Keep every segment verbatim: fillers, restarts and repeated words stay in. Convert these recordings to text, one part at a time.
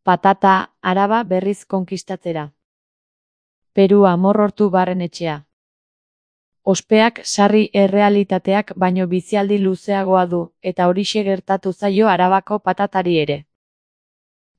Patata, Araba berriz konkistatzera. Peru amorrortu barrenetxea. Ospeak sarri errealitateak baino bizialdi luzeagoa du, eta horixe gertatu zaio Arabako patatari ere.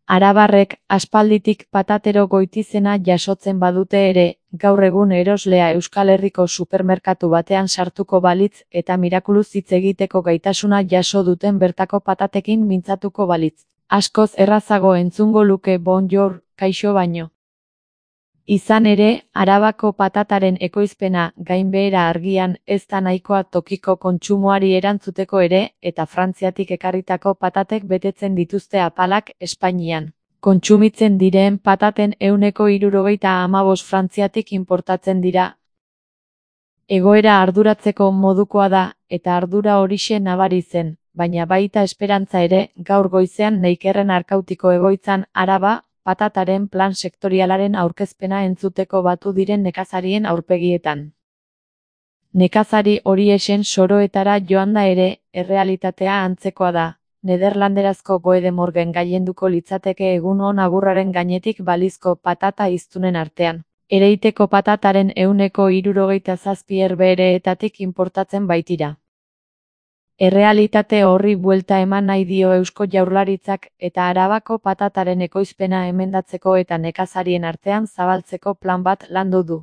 Arabarrek aspalditik patatero goitizena jasotzen badute ere, gaur egun eroslea Euskal Herriko supermerkatu batean sartuko balitz eta mirakuluz hitz egiteko gaitasuna jaso duten bertako patatekin mintzatuko balitz. Askoz errazago entzungo luke bonjour, kaixo baino. Izan ere, Arabako patataren ekoizpena gainbehera argian ez da nahikoa tokiko kontsumoari erantzuteko ere, eta Frantziatik ekarritako patatek betetzen dituzte apalak Espainian. Kontsumitzen diren pataten ehuneko hirurogeita hamabost Frantziatik inportatzen dira. Egoera arduratzeko modukoa da, eta ardura horixe nabari zen, baina baita esperantza ere, gaur goizean Neikerren Arkautiko egoitzan Araba, patataren plan sektorialaren aurkezpena entzuteko batu diren nekazarien aurpegietan. Nekazari horiexen soroetara joanda ere, errealitatea antzekoa da, nederlanderazko Goede Morgen gailenduko litzateke egun on agurraren gainetik balizko patata hiztunen artean. Ereiteko patataren ehuneko hirurogeita zazpi herbehereetatik inportatzen baitira. Errealitate horri buelta eman nahi dio Eusko Jaurlaritzak eta Arabako patataren ekoizpena emendatzeko eta nekazarien artean zabaltzeko plan bat landu du.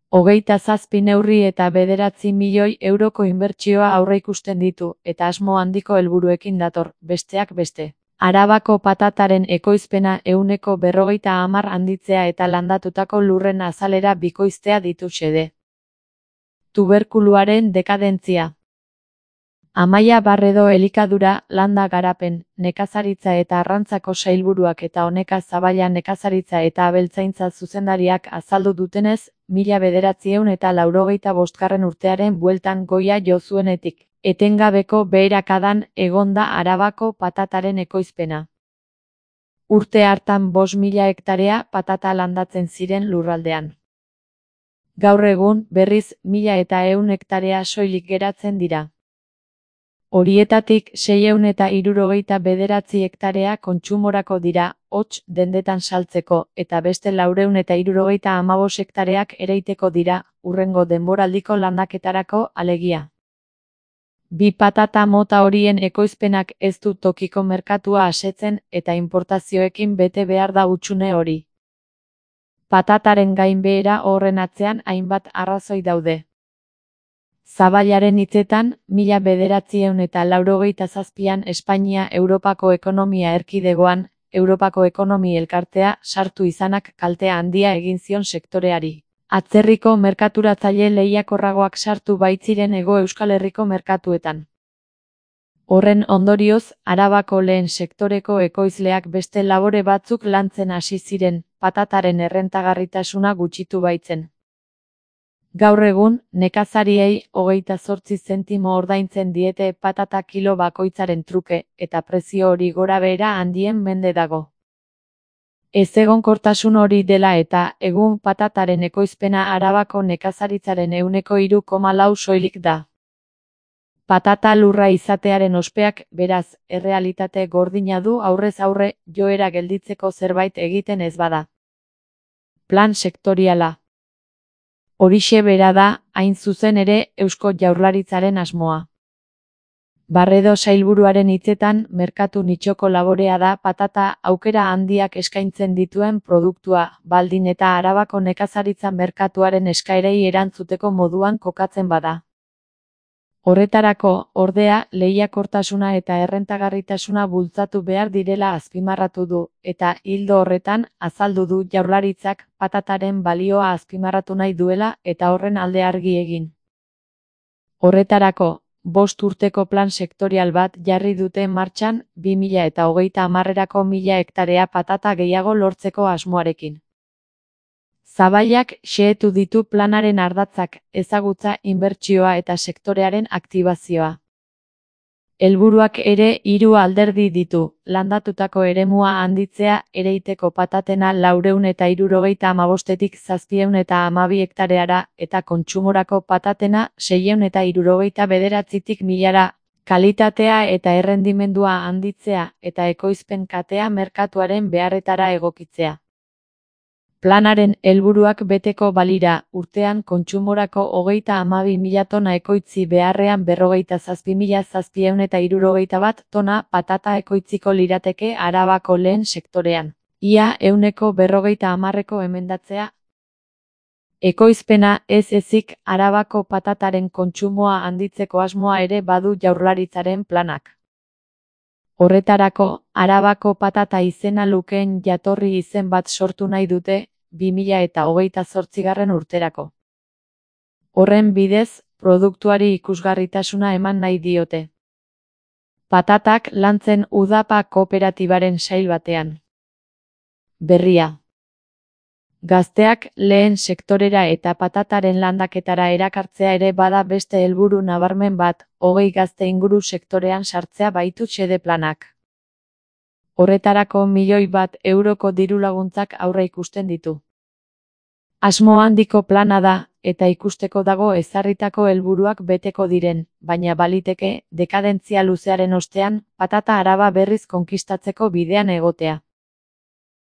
Hogeita zazpi neurri eta bederatzi milioi euroko inbertsioa aurreikusten ditu eta asmo handiko helburuekin dator, besteak beste. Arabako patataren ekoizpena ehuneko berrogeita hamar handitzea eta landatutako lurren azalera bikoiztea ditu xede. Tuberkuluaren dekadentzia. Amaia Barredo Elikadura, Landa Garapen, Nekazaritza eta Arrantzako sailburuak eta Oneka Zabala Nekazaritza eta Abeltzaintza zuzendariak azaldu dutenez, mila bederatziehun eta laurogeita bostgarren urtearen bueltan goia jo zuenetik, etengabeko beherakadan egon da Arabako patataren ekoizpena. Urte hartan bost mila hektarea patata landatzen ziren lurraldean. Gaur egun, berriz, mila eta ehun hektarea soilik geratzen dira. Horietatik seiehun eta hirurogeita bederatzi hektarea kontsumorako dira, hots dendetan saltzeko, eta beste laurehun eta hirurogeita hamabost hektareak ereiteko dira, hurrengo denboraldiko landaketarako alegia. Bi patata mota horien ekoizpenak ez du tokiko merkatua asetzen eta inportazioekin bete behar da hutsune hori. Patataren gainbehera horren atzean hainbat arrazoi daude. Zabalaren hitzetan, mila bederatziehun eta laurogeita zazpian Espainia Europako Ekonomia Erkidegoan, Europako Ekonomi Elkartea sartu izanak kaltea handia egin zion sektoreari. Atzerriko merkaturatzaile lehiakorragoak sartu baitziren Hego Euskal Herriko merkatuetan. Horren ondorioz, Arabako lehen sektoreko ekoizleak beste labore batzuk lantzen hasi ziren, patataren errentagarritasuna gutxitu baitzen. Gaur egun, nekazariei hogeita zortzi zentimo ordaintzen diete patata kilo bakoitzaren truke, eta prezio hori gorabehera handien mende dago. Ezegonkortasun hori dela eta, egun patataren ekoizpena Arabako nekazaritzaren ehuneko hiru koma lau soilik da. Patata lurra izatearen ospeak, beraz, errealitate gordina du aurrez aurre, joera gelditzeko zerbait egiten ez bada. Plan sektoriala. Horixe bera da, hain zuzen ere, Eusko Jaurlaritzaren asmoa. Barredo sailburuaren hitzetan, merkatu nitxoko laborea da patata aukera handiak eskaintzen dituen produktua, baldin eta Arabako nekazaritza merkatuaren eskaerei erantzuteko moduan kokatzen bada. Horretarako, ordea, lehiakortasuna eta errentagarritasuna bultzatu behar direla azpimarratu du, eta ildo horretan, azaldu du Jaurlaritzak patataren balioa azpimarratu nahi duela eta horren alde argi egin. Horretarako, bost urteko plan sektorial bat jarri dute martxan, bi mila eta hogeita hamarrerako mila hektarea patata gehiago lortzeko asmoarekin. Zabalak xehetu ditu planaren ardatzak, ezagutza, inbertsioa eta sektorearen aktibazioa. Helburuak ere hiru alderdi ditu, landatutako eremua handitzea, ereiteko patatena laurehun eta hirurogeita hamabostetik zazpiehun eta hamabi hektareara, eta kontsumorako patatena seiehun eta hirurogeita bederatzitik milara, kalitatea eta errendimendua handitzea eta ekoizpen katea merkatuaren beharretara egokitzea. Planaren helburuak beteko balira, urtean kontsumorako hogeita hamabi mila tona ekoitzi beharrean berrogeita zazpi mila zazpiehun eta hirurogeita bat tona patata ekoitziko lirateke Arabako lehen sektorean. Ia ehuneko berrogeita hamarreko emendatzea. Ekoizpena ez ezik Arabako patataren kontsumoa handitzeko asmoa ere badu Jaurlaritzaren planak. Horretarako, Arabako patata izena lukeen jatorri izen bat sortu nahi dute, bi mila eta hogeita zortzigarren urterako. Horren bidez, produktuari ikusgarritasuna eman nahi diote. Patatak lantzen Udapa kooperatibaren sail batean. Berria. Gazteak lehen sektorera eta patataren landaketara erakartzea ere bada beste helburu nabarmen bat, hogei gazte inguru sektorean sartzea baitu xede planak. Horretarako milioi bat euroko dirulaguntzak aurre ikusten ditu. Asmo handiko plana da, eta ikusteko dago ezarritako helburuak beteko diren, baina baliteke, dekadentzia luzearen ostean, patata Araba berriz konkistatzeko bidean egotea.